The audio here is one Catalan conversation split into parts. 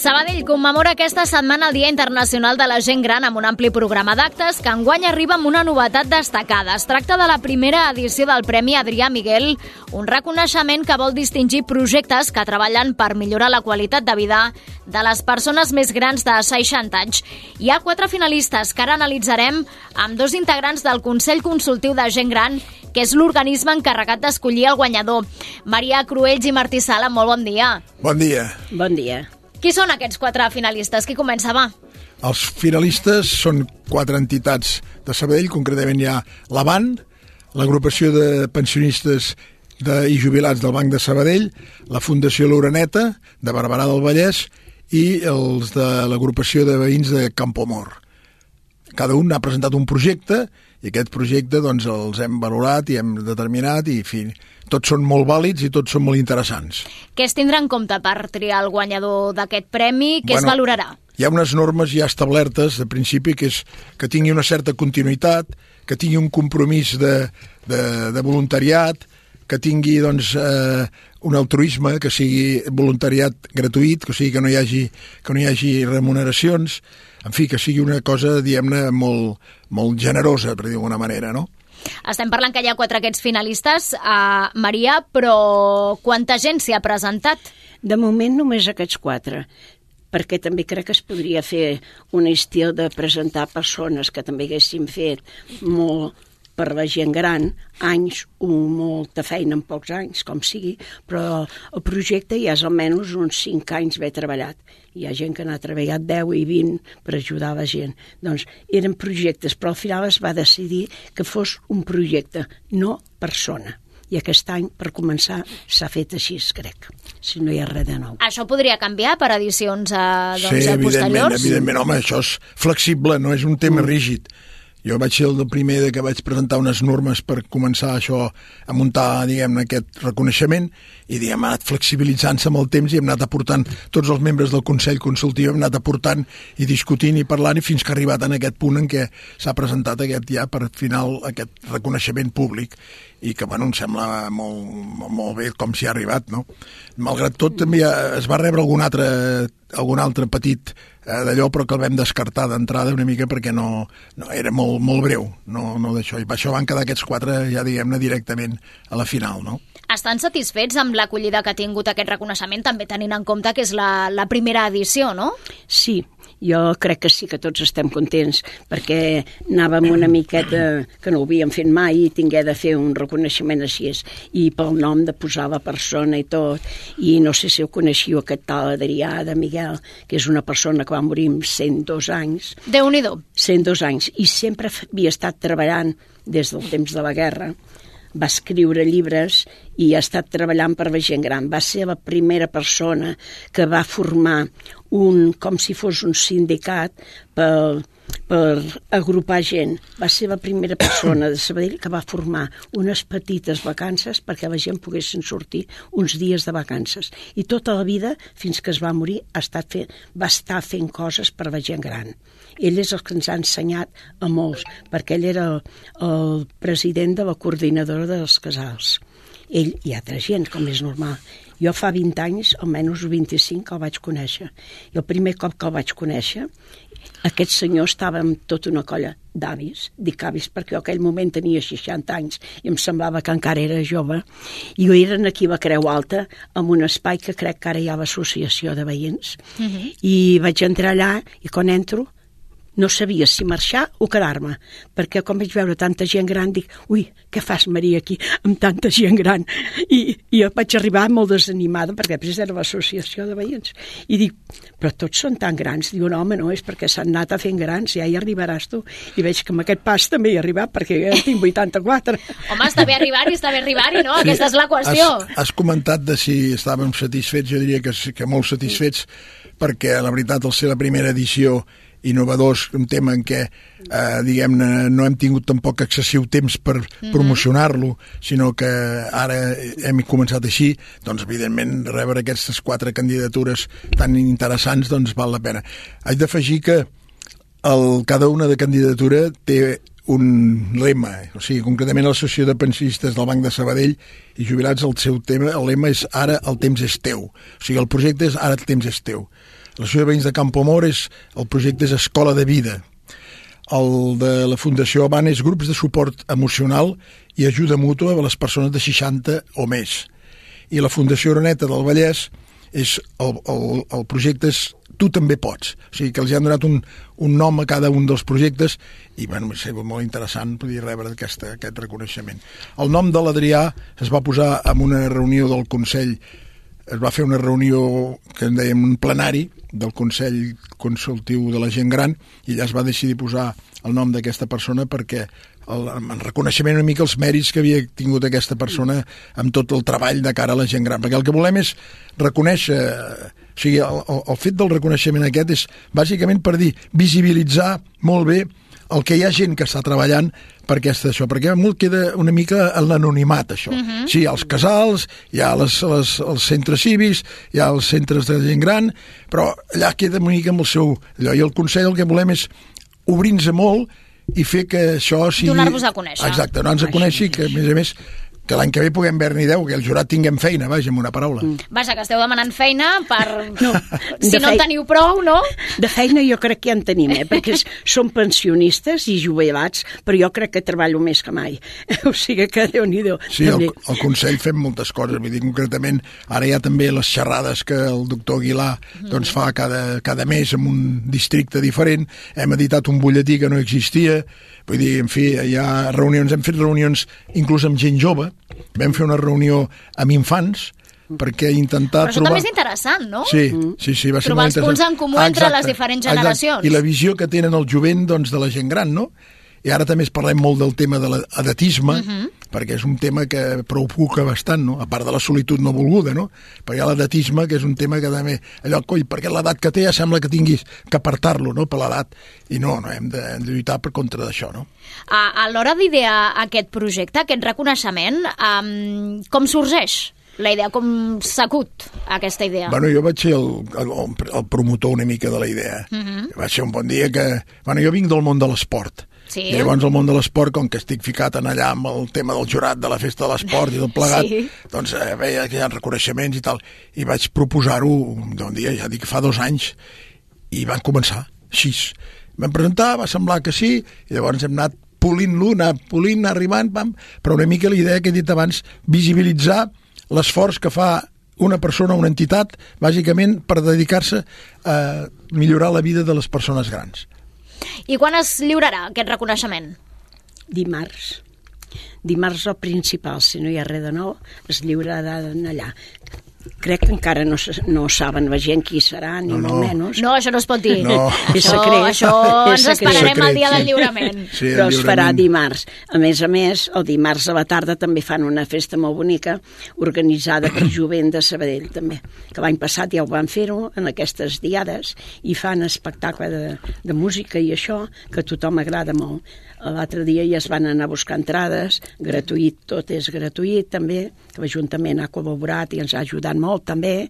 Sabadell commemora aquesta setmana el Dia Internacional de la Gent Gran amb un ampli programa d'actes que enguany arriba amb una novetat destacada. Es tracta de la primera edició del Premi Adrià Miguel, un reconeixement que vol distingir projectes que treballen per millorar la qualitat de vida de les persones més grans de 60 anys. Hi ha 4 finalistes que ara analitzarem amb 2 integrants del Consell Consultiu de Gent Gran, que és l'organisme encarregat d'escollir el guanyador. Maria Cruells i Martí Sala, molt bon dia. Bon dia. Bon dia. Qui són aquests 4 finalistes? Qui comença, va? Els finalistes són 4 entitats de Sabadell, concretament hi ha l'ABAN, l'agrupació de pensionistes i jubilats del Banc de Sabadell, la Fundació L'Oreneta, de Barberà del Vallès, i els de l'agrupació de veïns de Campoamor. Cada un ha presentat un projecte i aquest projecte doncs, els hem valorat i hem determinat i, en fi, tots són molt vàlids i tots són molt interessants. Què es tindrà en compte per triar el guanyador d'aquest premi? Què es valorarà? Hi ha unes normes ja establertes de principi, que és que tingui una certa continuïtat, que tingui un compromís de voluntariat, que tingui doncs, un altruisme, que sigui voluntariat gratuït, o sigui que no hi hagi remuneracions, en fi, que sigui una cosa, diguem-ne, molt generosa, per dir d'alguna manera, no? Estem parlant que hi ha 4 aquests finalistes, Maria, però quanta gent s'hi ha presentat? De moment només aquests 4, perquè també crec que es podria fer un estil de presentar persones que també haguessin fet molt per la gent gran, anys o molta feina en pocs anys, com sigui, però el projecte ja és almenys uns 5 anys ben treballat. Hi ha gent que n'ha treballat 10 i 20 per ajudar la gent. Doncs eren projectes, però al final es va decidir que fos un projecte, no persona. I aquest any, per començar, s'ha fet així, crec, si no hi ha res de nou. Això podria canviar per edicions posteriors? Sí, evidentment, home, això és flexible, no és un tema rígid. Jo vaig ser el primer que vaig presentar unes normes per començar això a muntar, diguem-ne, aquest reconeixement i, diguem, ha anat flexibilitzant-se amb el temps i hem anat aportant, tots els membres del Consell Consultiu hem anat aportant i discutint i parlant i fins que ha arribat en aquest punt en què s'ha presentat per final aquest reconeixement públic i que, bueno, em sembla molt bé com s'hi ha arribat, no? Malgrat tot, també es va rebre algun altre petit d'allò, però que el vam descartar d'entrada una mica perquè no era molt breu, no d'això. I per això van quedar aquests 4, ja diguem-ne, directament a la final, no? Estan satisfets amb l'acollida que ha tingut aquest reconeixement, també tenint en compte que és la primera edició, no? Sí, jo crec que sí que tots estem contents, perquè anàvem una miqueta que no ho havíem fet mai i tingué de fer un reconeixement així, i pel nom de posar la persona i tot, i no sé si ho coneixiu, aquest tal Adrià de Miguel, que és una persona que va morir amb 102 anys. Déu-n'hi-do. 102 anys, i sempre havia estat treballant des del temps de la guerra, va escriure llibres i ha estat treballant per la gent gran. Va ser la primera persona que va formar com si fos un sindicat per agrupar gent. Va ser la primera persona de Sabadell que va formar unes petites vacances perquè la gent poguessin sortir uns dies de vacances. I tota la vida, fins que es va morir, va estar fent coses per la gent gran. Ell és el que ens ha ensenyat a molts, perquè ell era el president de la coordinadora dels casals. Ell i altra gent, com és normal. Jo fa 20 anys, almenys 25, que el vaig conèixer. I el primer cop que el vaig conèixer, aquest senyor estava amb tota una colla d'avis, dic avis perquè jo en aquell moment tenia 60 anys i em semblava que encara era jove, i eren aquí a la Creu Alta, en un espai que crec que ara hi ha l'associació de veïns, i vaig entrar allà i quan entro no sabia si marxar o quedar-me, perquè com vaig veure tanta gent gran dic, ui, què fas, Maria, aquí amb tanta gent gran? I jo vaig arribar molt desanimada perquè després era l'associació de veïns i dic, però tots són tan grans. Diu, no, home, no, és perquè s'han anat a fent grans, ja hi arribaràs tu. I veig que amb aquest pas també hi he arribat perquè ja tinc 84. Home, està bé arribar-hi, no? Sí, aquesta és la qüestió. Has comentat de si estàvem satisfets, jo diria que molt satisfets, perquè la veritat, al ser la primera edició innovadors, un tema en què, diguem-ne, no hem tingut tampoc excessiu temps per promocionar-lo, sinó que ara hem començat així, doncs, evidentment, rebre aquestes 4 candidatures tan interessants, doncs, val la pena. Haig d'afegir que cada una de candidatura té un lema, o sigui, concretament l'Associació de Pensionistes del Banc de Sabadell i Jubilats, el lema és ara el temps és teu, o sigui, el projecte és ara el temps és teu. L'Associació de Veïns de Campoamor el projecte és Escola de Vida. El de la Fundació Avant és grups de suport emocional i ajuda mútua a les persones de 60 o més. I la Fundació Oreneta del Vallès el projecte és Tu també pots. O sigui que els han donat un nom a cada un dels projectes i bueno, va ser molt interessant poder rebre aquest reconeixement. El nom de l'Adrià es va posar en una reunió del Consell, es va fer una reunió que en dèiem un plenari del Consell Consultiu de la Gent Gran i allà es va decidir posar el nom d'aquesta persona perquè en reconeixement una mica els mèrits que havia tingut aquesta persona amb tot el treball de cara a la gent gran, perquè el que volem és reconèixer, o sigui, el fet del reconeixement aquest és bàsicament per dir, visibilitzar molt bé el que hi ha gent que està treballant per això, perquè molt queda una mica en l'anonimat, això. Sí, hi ha els casals, hi ha els centres cívics, hi ha els centres de gent gran, però allà queda una mica amb el seu allò, i el Consell el que volem és obrir-nos molt i fer que això sigui... Donar-vos a conèixer. Exacte, donar-nos a conèixer i que, a més, que l'any que ve puguem veure-n'hi 10, que el jurat tinguem feina, vaja, amb una paraula. Vaja, que esteu demanant feina per... No, si no en teniu prou, no? De feina jo crec que ja en tenim, perquè som pensionistes i jubilats, però jo crec que treballo més que mai. O sigui que Déu-n'hi-do. Sí, al Consell fem moltes coses, vull dir, concretament, ara hi ha també les xerrades que el doctor Aguilar doncs, fa cada mes en un districte diferent, hem editat un butlletí que no existia, vull dir, en fi, hi ha reunions, hem fet reunions inclús amb gent jove, vam fer una reunió amb infants perquè intentar Però això també és interessant, no? Sí, va ser trobar molt interessant. Els punts en comú entre les diferents generacions. I la visió que tenen el jovent doncs, de la gent gran, no? I ara també parlem molt del tema de l'edatisme, perquè és un tema que preocupa bastant, no? A part de la solitud no volguda, no? Perquè hi ha l'edatisme, que és un tema que també... Allò, coi, perquè l'edat que té ja sembla que tinguis que apartar-lo, no?, per l'edat. I no, hem de lluitar per contra d'això, no? A l'hora d'idear aquest projecte, aquest reconeixement, com sorgeix la idea? Com s'acut aquesta idea? Bueno, jo vaig ser el promotor una mica de la idea. Va ser un bon dia que... Bueno, jo vinc del món de l'esport. Sí. I llavors el món de l'esport, com que estic ficat en allà amb el tema del jurat de la festa de l'esport i tot plegat, doncs veia que hi ha reconeixements i tal, i vaig proposar-ho un dia, ja dic, fa 2 anys, i van començar així. Vam presentar, va semblar que sí, i llavors hem anat polint-lo, anar arribant, però una mica la idea que he dit abans, visibilitzar l'esforç que fa una persona, una entitat, bàsicament per dedicar-se a millorar la vida de les persones grans. I quan es lliurarà aquest reconeixement? Dimarts. Dimarts el principal, si no hi ha res de nou, es lliurarà allà. Crec que encara no saben la gent qui serà, ni molt menys. No, això no es pot dir. No. És secret. Això ens esperarem el dia del lliurament. Sí, però es farà dimarts. A més, el dimarts a la tarda també fan una festa molt bonica, organitzada per Jovent de Sabadell, també. Que l'any passat ja ho van fer-ho, en aquestes diades, i fan espectacle de música i això, que a tothom agrada molt. L'altre dia ja es van anar a buscar entrades, gratuït, tot és gratuït també, que l'Ajuntament ha col·laborat i ens ha ajudat molt també,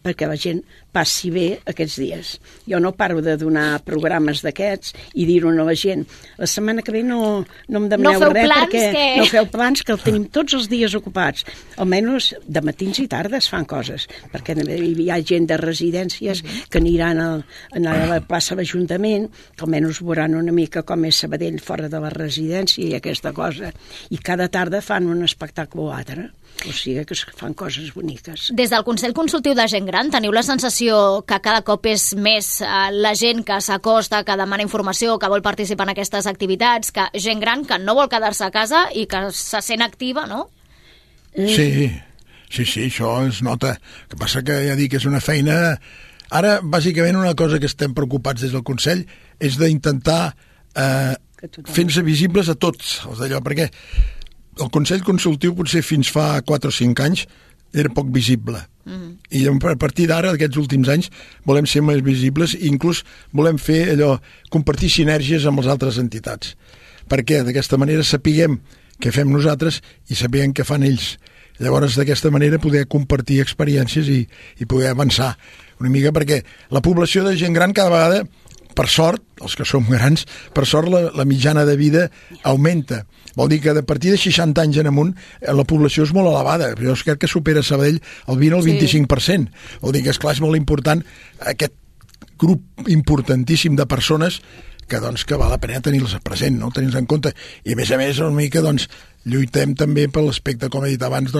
perquè la gent passi bé aquests dies. Jo no paro de donar programes d'aquests i dir-ho a la gent. La setmana que ve no em demaneu res perquè no feu plans, que el tenim tots els dies ocupats. Almenys de matins i tardes fan coses, perquè hi ha gent de residències que aniran a la plaça de l'Ajuntament, que almenys veuran una mica com és Sabadell fora de la residència i aquesta cosa. I cada tarda fan un espectacle o altre. O sigui que fan coses boniques. Des del Consell Consultiu de Gent Gran teniu la sensació que cada cop és més la gent que s'acosta, que demana informació, que vol participar en aquestes activitats, que gent gran que no vol quedar-se a casa i que se sent activa, no? Sí, això es nota. El que passa que ja dic que és una feina... Ara, bàsicament, una cosa que estem preocupats des del Consell és d'intentar fer-nos visibles a tots els d'allò, perquè el Consell Consultiu potser fins fa 4 o 5 anys era poc visible. I a partir d'ara, aquests últims anys, volem ser més visibles i inclús volem fer allò, compartir sinergies amb les altres entitats. Perquè d'aquesta manera sapiguem què fem nosaltres i sapiguem què fan ells. Llavors, d'aquesta manera, poder compartir experiències i poder avançar una mica, perquè la població de gent gran cada vegada per sort, els que som grans, per sort la mitjana de vida augmenta. Vol dir que a partir de 60 anys en amunt la població és molt elevada. Jo crec que supera Sabadell el 20 o el 25%. Vol dir que, esclar, és molt important aquest grup importantíssim de persones que val la pena tenir-los present, no? Tenir-los en compte. I a més, una mica, lluitem també per l'aspecte, com he dit abans,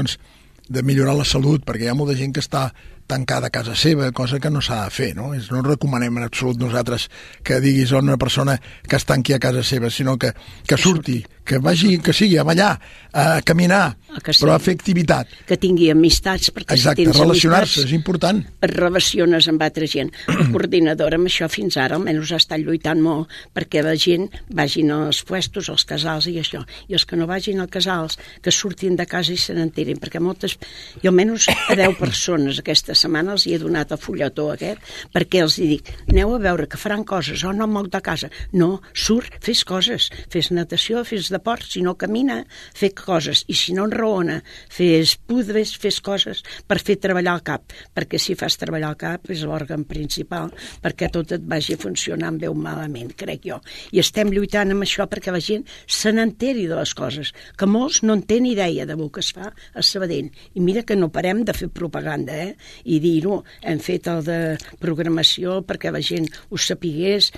de millorar la salut, perquè hi ha molta gent que està tancada a casa seva, cosa que no s'ha de fer, no? No recomanem en absolut nosaltres que diguis a una persona que es tanqui a casa seva, sinó que surti, que vagi, que sigui a ballar, a caminar, però a fer activitat. Que tingui amistats, perquè exacte, si tens relacionar-se, és important. Et relaciones amb altra gent. La coordinadora amb això fins ara almenys ha estat lluitant molt perquè la gent vagin als puestos, als casals i això, i els que no vagin als casals, que surtin de casa i se n'enterin, perquè moltes, jo almenys a 10 persones aquesta setmana els hi he donat el fulletó aquest, perquè els dic, aneu a veure que faran coses, no moc de casa. No, surt, fes coses, fes natació, fes deport, si no camina, fes coses, i si no enraona, fes pudres, fes coses per fer treballar el cap, perquè si fas treballar el cap és l'òrgan principal perquè tot et vagi funcionant bé o malament, crec jo. I estem lluitant amb això perquè la gent se n'enteri de les coses, que molts no en tenen idea del que es fa a Sabadell. I mira que no parem de fer propaganda, i dir-ho, hem fet el de programació perquè la gent ho sapigués,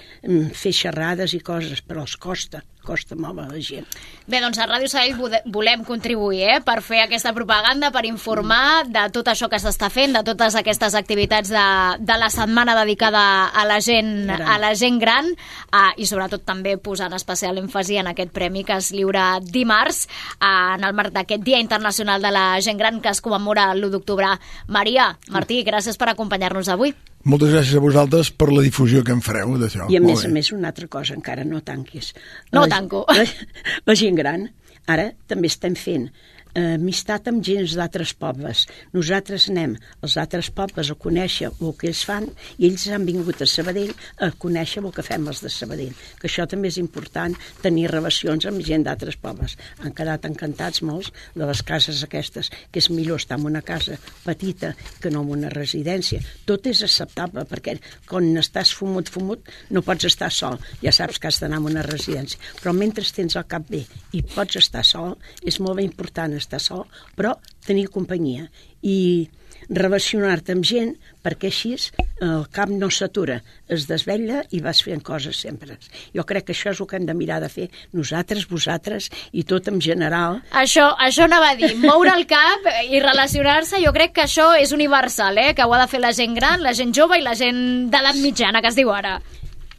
fer xerrades i coses, però els costa molt a la gent. Bé, doncs a Ràdio Sabadell volem contribuir per fer aquesta propaganda, per informar de tot això que s'està fent, de totes aquestes activitats de la setmana dedicada a la gent gran, i sobretot també posant especial èmfasi en aquest premi que es lliura dimarts en el marc d'aquest Dia Internacional de la Gent Gran que es commemora l'1 d'octubre. Maria, Martí, gràcies per acompanyar-nos avui. Moltes gràcies a vosaltres per la difusió que en fareu d'això. I a més, una altra cosa, encara no tanquis. No tanco. La gent gran, ara també estem fent amistat amb gent d'altres pobles. Nosaltres anem als altres pobles a conèixer el que ells fan i ells han vingut a Sabadell a conèixer el que fem els de Sabadell, que això també és important, tenir relacions amb gent d'altres pobles. Han quedat encantats molts de les cases aquestes, que és millor estar en una casa petita que no en una residència. Tot és acceptable, perquè quan estàs fumut no pots estar sol, ja saps que has d'anar a una residència, però mentre tens el cap bé i pots estar sol, és molt important estar sol, però tenir companyia i relacionar-te amb gent, perquè així el cap no s'atura, es desvetlla i vas fent coses sempre. Jo crec que això és el que hem de mirar de fer nosaltres, vosaltres i tot en general. Això anava a dir, moure el cap i relacionar-se, jo crec que això és universal, que ho ha de fer la gent gran, la gent jove i la gent d'edat mitjana, que es diu ara.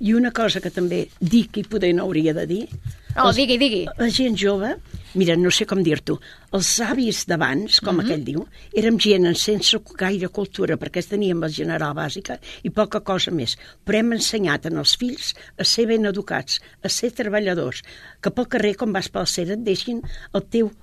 I una cosa que també dic i poder no hauria de dir. No, digui. La gent jove, mira, no sé com dir-t'ho, els avis d'abans, com aquell diu, érem gent sense gaire cultura, perquè teníem la general bàsica i poca cosa més. Però hem ensenyat als fills a ser ben educats, a ser treballadors, que pel carrer, quan vas pel cera, et deixin el teu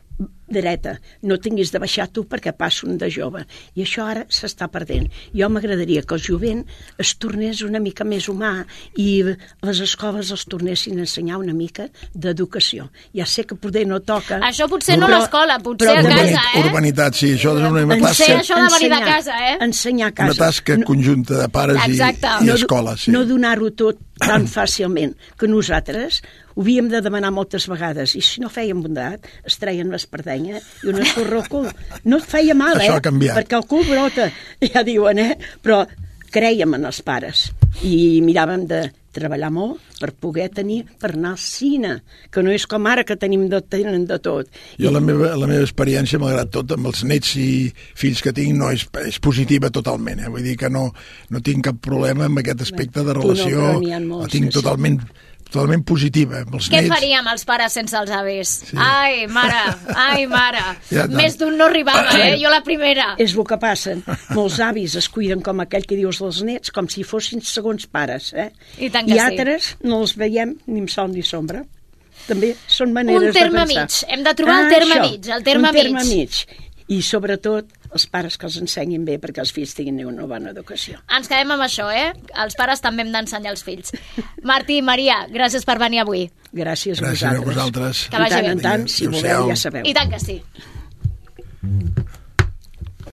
dreta, no tinguis de baixar tu perquè passa un de jove, i això ara s'està perdent. Jo m'agradaria que el jovent es tornés una mica més humà i les escoles els tornessin a ensenyar una mica d'educació. Ja sé que poder no toca... Això potser no a l'escola, potser a casa, Urbanitat, sí, això és una tasca... Això de venir de casa, Ensenyar a casa. Una tasca conjunta de pares i escoles, sí. No donar-ho tot tan fàcilment, que nosaltres ho havíem de demanar moltes vegades, i si no fèiem bondat, es treien l'espardenya i una escorró al cul. No et feia mal, això ha canviat. Perquè el cul brota, ja diuen, però crèiem en els pares i miràvem de treballar molt per poder tenir, per anar al cine, que no és com ara que tenen de tot. Jo la meva experiència, malgrat tot, amb els nets i fills que tinc, no és positiva totalment. Vull dir que no tinc cap problema amb aquest aspecte de relació. La tinc totalment positiva. Què faríem els pares sense els avis? Sí. Ai, mare. Ja, més d'un no arribava, jo la primera. És el que passa. Molts avis es cuiden com aquell que dius dels nets, com si fossin segons pares. I altres no els veiem ni amb sol ni sombra. També són maneres de pensar. Un terme mig. Hem de trobar el terme mig. El terme mig. I sobretot els pares que els ensenyin bé perquè els fills tinguin una bona educació. Ens quedem amb això, Els pares també hem d'ensenyar els fills. Martí, Maria, gràcies per venir avui. Gràcies a vosaltres. Gràcies a vosaltres. Que vagi bé. En tant, si voleu, ja sabeu. I tant que sí.